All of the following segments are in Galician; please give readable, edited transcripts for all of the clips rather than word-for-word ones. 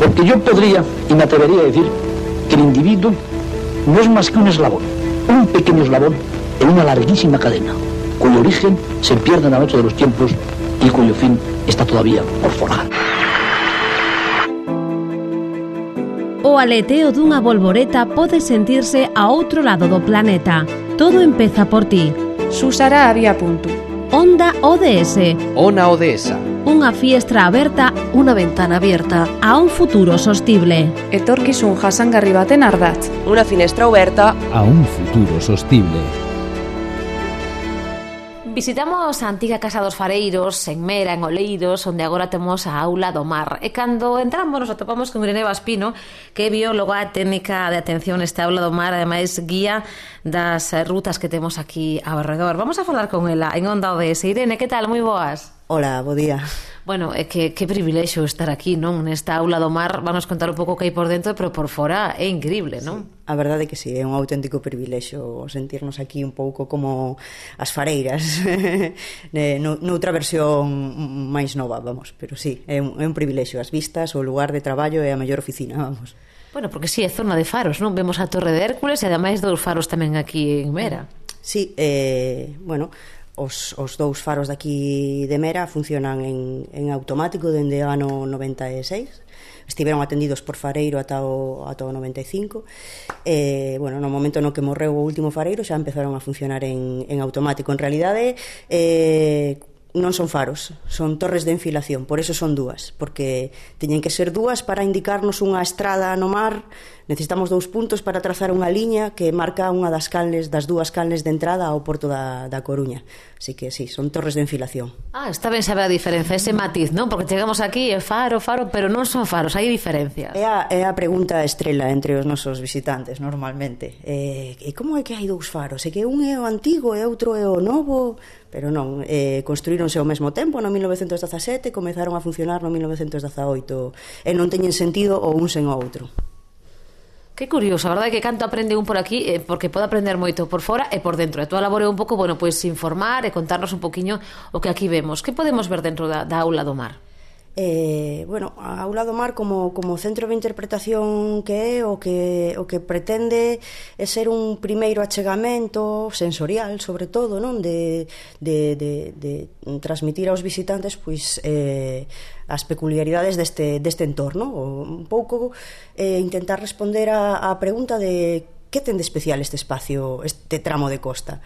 Porque yo podría, y me atrevería a decir, que el individuo no es más que un eslabón, un pequeño eslabón en una larguísima cadena, cuyo origen se pierde en la noche de los tiempos y cuyo fin está todavía por forjar. O aleteo dunha bolboreta pode sentirse a outro lado do planeta. Todo empeza por ti. Susara había punto. Onda ODS. Ona ODS. Unha fiestra aberta, unha ventana abierta a un futuro sostible. Etorkizun jasangarri baten ardatz. Unha finestra aberta a un futuro sostible. Visitamos a antiga Casa dos Fareiros, en Mera, en Oleiros, onde agora temos a Aula do Mar. E cando entramos nos atopamos con Irene Vaspino, que é bióloga técnica de atención nesta Aula do Mar, ademais guía das rutas que temos aquí ao redor. Vamos a falar con ela en Onda ODS. Irene, que tal? Moi boas. Hola, bo día. Bueno, é que privilexio estar aquí, non? Nesta Aula do Mar, vamos contar un pouco o que hai por dentro, pero por fora é increíble, non? Sí, a verdade é que sí, é un auténtico privilexio sentirnos aquí un pouco como as fareiras, noutra versión máis nova, vamos, pero sí, é un privilexio, as vistas, o lugar de traballo é a mellor oficina, vamos. Bueno, porque sí, é zona de faros, non? Vemos a Torre de Hércules e ademais dous faros tamén aquí en Mera. Sí, bueno, os dous faros daqui de Mera funcionan en automático dende o ano 96. Estiveron atendidos por fareiro ata o 95. Bueno, no momento no que morreu o último fareiro xa empezaron a funcionar en automático. En realidade non son faros, son torres de enfilación, por eso son dúas, porque teñen que ser dúas para indicarnos unha estrada no mar. Necesitamos 2 puntos para trazar unha liña que marca unha das dúas canles de entrada ao porto da Coruña. Así que sí, son torres de enfilación. Está ben saber a diferenza, ese matiz, non? Porque chegamos aquí, é faro, pero non son faros, hai diferencias. É a pregunta estrela entre os nosos visitantes, normalmente. E como é que hai 2 faros? É que un é o antigo e outro é o novo? Pero non, construíronse ao mesmo tempo no 1917, comezaron a funcionar no 1918 e non teñen sentido o un sen o outro. Que curioso, a verdade é que canto aprende un por aquí, porque pode aprender moito por fora e por dentro. E toda a labor é un pouco, bueno, pois informar e contarnos un poquinho o que aquí vemos. Que podemos ver dentro da Aula do Mar? Bueno, a Aula do Mar como centro de interpretación que é o que pretende é ser un primeiro achegamento sensorial, sobre todo, non? De transmitir aos visitantes pois as peculiaridades deste entorno, un pouco intentar responder a pregunta de que ten de especial este espacio, este tramo de costa.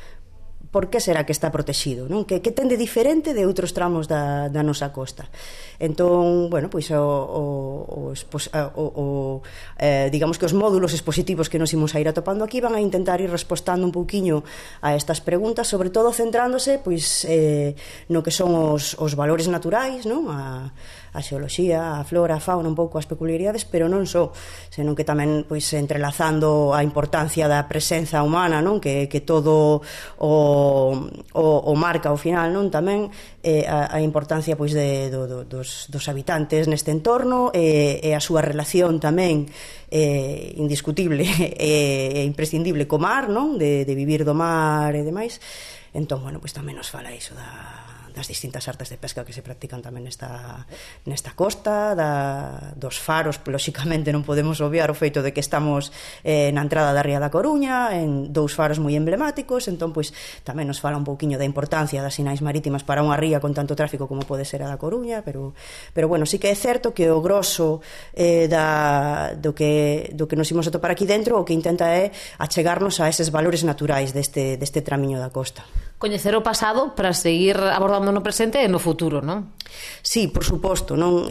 Por que será que está protegido, non? Que ten de diferente de outros tramos da nosa costa. Entón, bueno, pois digamos que os módulos expositivos que nos imos a ir atopando aquí van a intentar ir respostando un pouquiño a estas preguntas, sobre todo centrándose pois no que son os valores naturais, non? A xeoloxía, a flora, a fauna, un pouco as peculiaridades, pero non só, senón que tamén pois entrelazando a importancia da presenza humana, non? Que todo o marca ao final, non? Tamén a importancia pois dos habitantes neste entorno e a súa relación tamén indiscutible e imprescindible co mar, non? De vivir do mar e demais. Entón, bueno, pois tamén nos fala iso das distintas artes de pesca que se practican tamén nesta costa, dos faros. Lóxicamente non podemos obviar o feito de que estamos na entrada da Ría da Coruña, en 2 faros moi emblemáticos. Entón, pois, tamén nos fala un pouquiño da importancia das sinais marítimas para unha ría con tanto tráfico como pode ser a da Coruña, pero bueno, sí que é certo que o grosso do que nos imos atopar aquí dentro o que intenta é achegarnos a eses valores naturais deste tramiño da costa. Coñecer o pasado para seguir abordando no presente e no futuro, non? Sí, por suposto, non?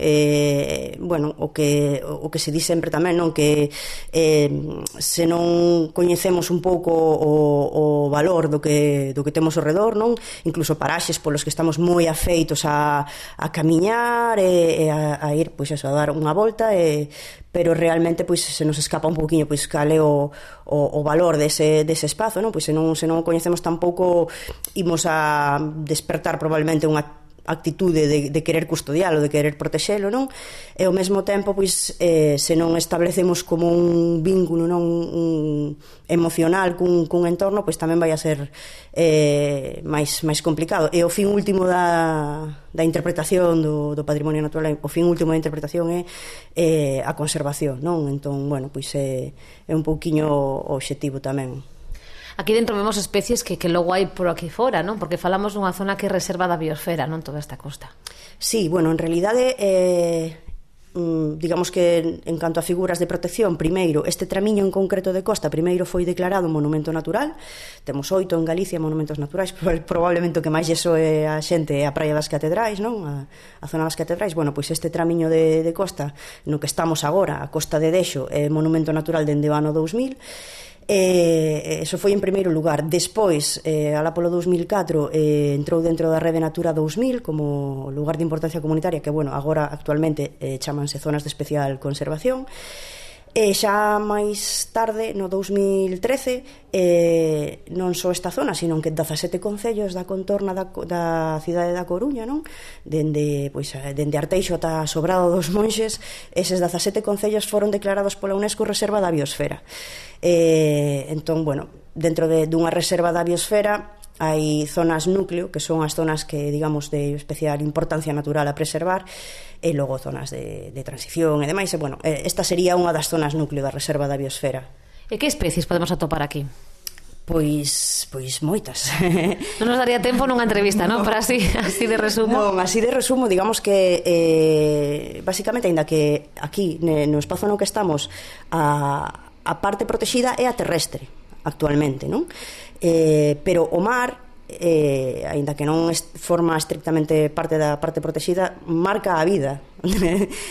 Bueno, o que se di sempre tamén, non? Que se non coñecemos un pouco o valor do que temos ao redor, non? Incluso paraxes polos que estamos moi afeitos a camiñar e a ir, pois eso, a dar unha volta, pero realmente pois se nos escapa un pouquiño pois cal é o valor dese espazo, non? Pois se non coñecemos tampouco imos a despertar probablemente unha actitude de querer custodialo, de querer protexelo, non? E ao mesmo tempo, pois, se non establecemos como un vínculo, non, un emocional cun entorno, pois tamén vai a ser máis complicado. E o fin último da interpretación do patrimonio natural, o fin último da interpretación é a conservación, non? Entón, bueno, pois é un pouquiño o obxectivo tamén. Aquí dentro vemos especies que logo hai por aquí fora, non? Porque falamos dunha zona que é reserva da biosfera, non? Toda esta costa. Sí, bueno, en realidade digamos que en canto a figuras de protección, primeiro, este tramiño en concreto de costa primeiro foi declarado monumento natural. Temos 8 en Galicia monumentos naturais, probablemente o que máis lleso é a xente é a Praia das Catedrais, non? A zona das Catedrais. Bueno, pois este tramiño de costa no que estamos agora, a Costa de Dexo, é monumento natural dende o ano 2000. Eso foi en primeiro lugar. Despois, alá polo 2004, entrou dentro da Rede Natura 2000 como lugar de importancia comunitaria, que, bueno, agora actualmente chamanse zonas de especial conservación. E xa máis tarde, no 2013, non só esta zona, sino que 17 concellos da contorna da cidade da Coruña, non? Dende Arteixo ata Sobrado dos Monxes, eses 17 concellos foron declarados pola UNESCO reserva da biosfera. Entón, bueno, dentro dunha reserva da biosfera hai zonas núcleo, que son as zonas que, digamos, de especial importancia natural a preservar, e logo zonas de transición e demais. E, bueno, esta sería unha das zonas núcleo da reserva da biosfera. E que especies podemos atopar aquí? Pois moitas. Non nos daría tempo nunha entrevista, non? Para así de resumo. Non, así de resumo, digamos que basicamente, aínda que aquí no espazo no que estamos a parte protegida é a terrestre actualmente, non? Pero o mar, aínda que non forma estrictamente parte da parte protegida, marca a vida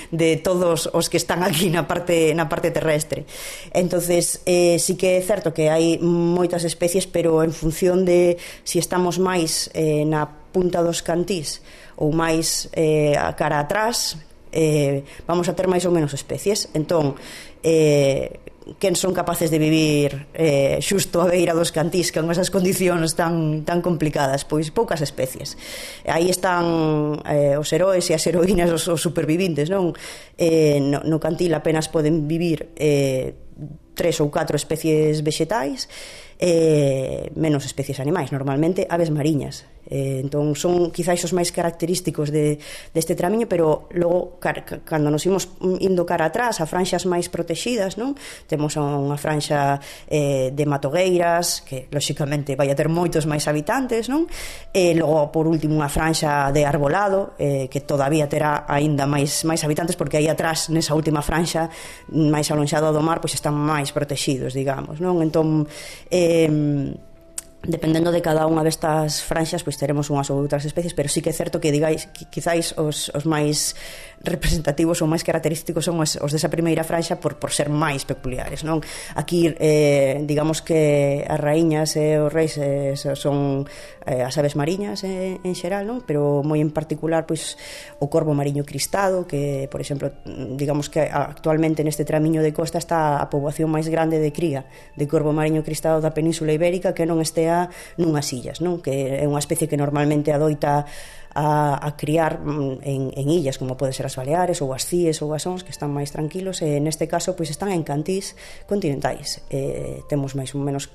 de todos os que están aquí na parte terrestre. Entonces, sí que é certo que hai moitas especies, pero en función de si estamos máis na punta dos cantís ou máis a cara atrás, vamos a ter máis ou menos especies. Entón, quen son capaces de vivir xusto a beira dos cantís con esas condicións tan complicadas? Pois poucas especies. Aí están os heróis e as heroínas, os supervivintes, non? No cantil apenas poden vivir 3 ou 4 especies vexetais, menos especies animais, normalmente aves mariñas. Entón son quizáis os máis característicos deste tramiño, pero logo cando nos imos indo cara atrás a franxas máis protegidas, non? Temos unha franxa de matogueiras, que lóxicamente vai a ter moitos máis habitantes, non? E logo, por último, unha franxa de arbolado, que todavía terá aínda máis habitantes, porque aí atrás, nesa última franxa máis alonxada do mar, pois están máis protegidos, digamos, non? Entón, dependendo de cada unha destas franxas, pois teremos unhas ou outras especies, pero sí que é certo que quizáis os máis representativos ou máis característicos son os desa primeira franxa por ser máis peculiares, non? Aquí, digamos que as raíñas e os reis son as aves mariñas en xeral, non? Pero moi en particular, pois, o corvo mariño cristado, que, por exemplo, digamos que actualmente neste tramiño de costa está a poboación máis grande de cría de corvo mariño cristado da Península Ibérica, que non estea nunhas illas, non? Que é unha especie que normalmente adoita a criar en illas, como pode ser as Baleares ou as Cíes ou as Ons, que están máis tranquilos, e neste caso pois están en cantís continentais. Temos máis ou menos,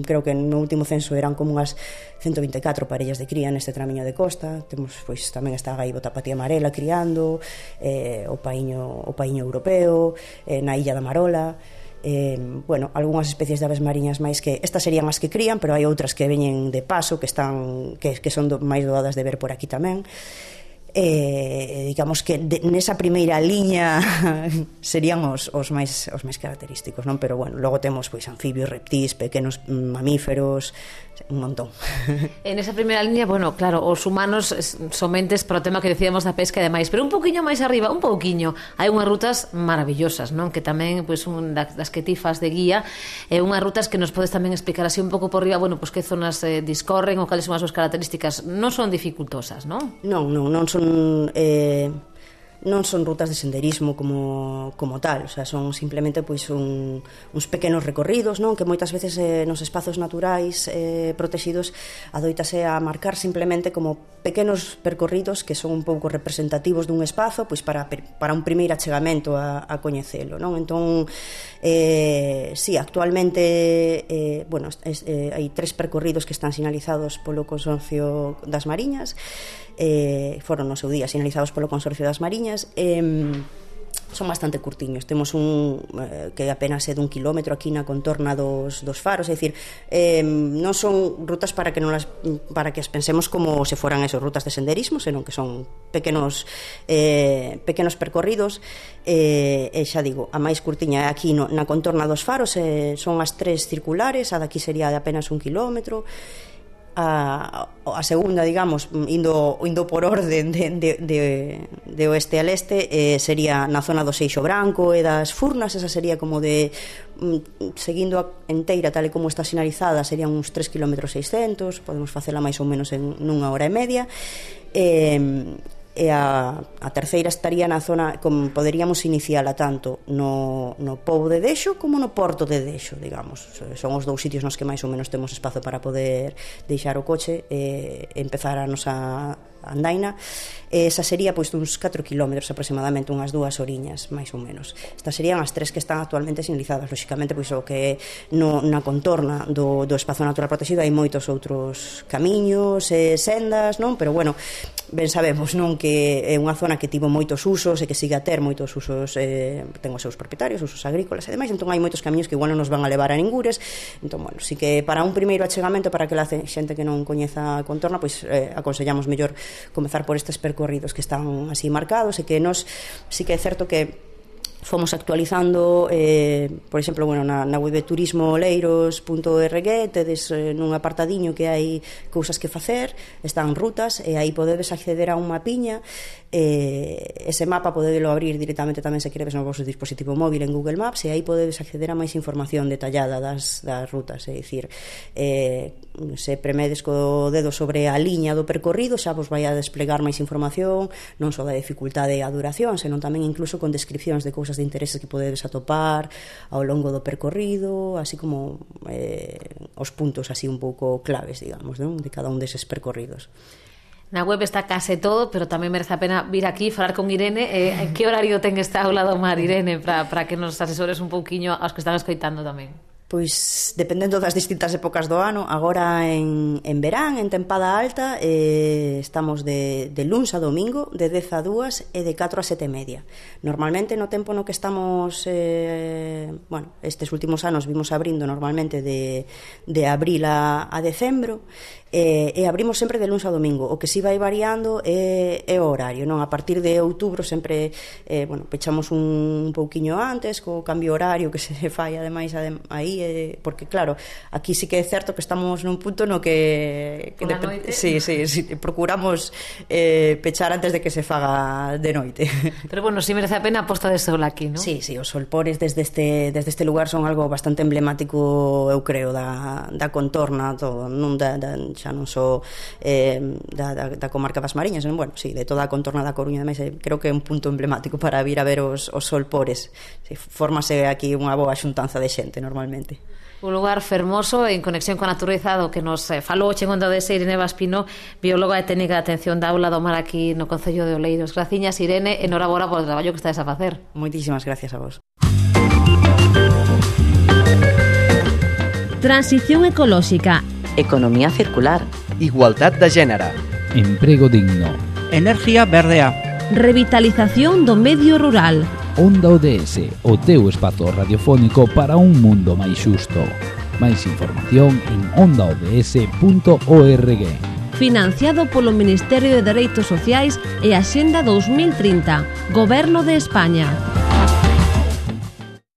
creo que no último censo eran como unhas 124 parellas de cría neste tramiño de costa. Temos, pois, tamén está a gaivota patía amarela criando, o paíño europeo, na illa da Marola. Bueno, algunhas especies de aves mariñas máis, que estas serían as que crían, pero hai outras que veñen de paso, que son máis doadas de ver por aquí tamén. Digamos que nesa primeira liña serían os máis característicos, non? Pero bueno, logo temos pois anfibios, reptís, pequenos mamíferos, un montón. En esa primeira liña, bueno, claro, os humanos somentes para o tema que decíamos da pesca e demais, pero un pouquiño máis arriba, hai unhas rutas maravillosas, non? Que tamén, pois, das que ti fas de guía, unhas rutas que nos podes tamén explicar así un pouco por riba, bueno, pois que zonas discorren ou cales son as súas características. Non son dificultosas, non? Non son non son rutas de senderismo como tal, o sea, son simplemente pois uns pequenos recorridos, non, que moitas veces nos espazos naturais protegidos adoitase a marcar simplemente como pequenos percorridos que son un pouco representativos dun espazo, pois para un primeiro achegamento a coñecelo, non? Entón, sí, actualmente hai 3 percorridos que están sinalizados polo Consorcio das Mariñas, foron no seu día sinalizados polo Consorcio das Mariñas, son bastante curtiños. Temos un que apenas é dun kilómetro aquí na contorna dos faros, é dicir, non son rutas para que as pensemos como se foran esas rutas de senderismo, senón que son pequenos percorridos, e xa digo, a máis curtiña é aquí na contorna dos faros, son as 3 circulares, a daqui sería de apenas 1 kilómetro. A segunda, digamos, indo por orden de oeste a leste, sería na zona do Seixo Branco e das Furnas. Esa sería como de seguindo a enteira tal e como está sinalizada, serían uns 3 km 600, podemos facela máis ou menos en 1 hora e media. E a terceira estaría na zona, como poderíamos iniciala tanto no Pobo de Dexo como no Porto de Dexo, digamos. Son os 2 sitios nos que máis ou menos temos espazo para poder deixar o coche e empezar a nosa andaina. Esa sería pois uns 4 km aproximadamente, unhas 2 horiñas máis ou menos. Estas serían as 3 que están actualmente sinalizadas. Lóxicamente, pois o que na contorna do espazo natural protegido hai moitos outros camiños e sendas, non? Pero bueno, ben sabemos, non, que é unha zona que tivo moitos usos e que sigue a ter moitos usos, ten os seus propietarios, usos agrícolas e demais, entón hai moitos camiños que igual non nos van a levar a ningures. Entón, bueno, si que para un primeiro achegamento, para que la xente que non coñeza a contorna, pois aconsellamos mellor comezar por estes percorridos que están así marcados, e que nos sí que é certo que fomos actualizando, por exemplo, bueno, na web de turismoleiros.org tedes nun apartadiño que hai cousas que facer, están rutas, e aí podedes acceder a un mapiña. Ese mapa podedelo abrir directamente tamén se queredes no vosso dispositivo móvil en Google Maps, e aí podedes acceder a máis información detallada das rutas, é dicir, se premedes co dedo sobre a liña do percorrido xa vos vai a desplegar máis información, non só da dificultade e a duración, senón tamén incluso con descripcións de cousas de intereses que podedes atopar ao longo do percorrido, así como os puntos así un pouco claves, digamos, non? De cada un deses percorridos. Na web está case todo, pero tamén merece a pena vir aquí falar con Irene. En que horario ten esta aula do mar, Irene, para que nos asesores un pouquiño aos que están escoitando tamén? Pois dependendo das distintas épocas do ano. Agora en verán, en tempada alta, estamos de luns a domingo de 10 a 2 e de 4 a 7 e media. Normalmente no tempo no que estamos estes últimos anos vimos abrindo normalmente de abril a decembro, e abrimos sempre de luns a domingo. O que si vai variando é o horario, non? A partir de outubro sempre pechamos un pouquiño antes co cambio horario que se fai ademais aí, porque claro, aquí sí que é certo que estamos nun punto no que sí, procuramos pechar antes de que se faga de noite. Pero bueno, si merece a pena a posta de sol aquí, non? Sí, os solpores desde este lugar son algo bastante emblemático, eu creo, da contorna, todo, non xa non só da comarca das Mariñas, bueno, sí, de toda a contorna da Coruña, ademais, creo que é un punto emblemático para vir a ver os solpores. Sí, fórmase aquí unha boa xuntanza de xente normalmente. Un lugar fermoso en conexión con a natureza do que nos falou o chegondo de Irene Vaspino, bióloga e técnica de atención da aula do mar aquí no Concello de Oleiros. Graciñas, Irene, enhorabora polo traballo que estades a facer. Moitísimas gracias a vos. Transición ecolóxica, economía circular, igualdad de género, emprego digno, energía verdea, revitalización do medio rural. Onda ODS, o teu espazo radiofónico para un mundo máis xusto. Máis información en ondaods.org. Financiado polo Ministerio de Dereitos Sociais e Axenda 2030, Goberno de España.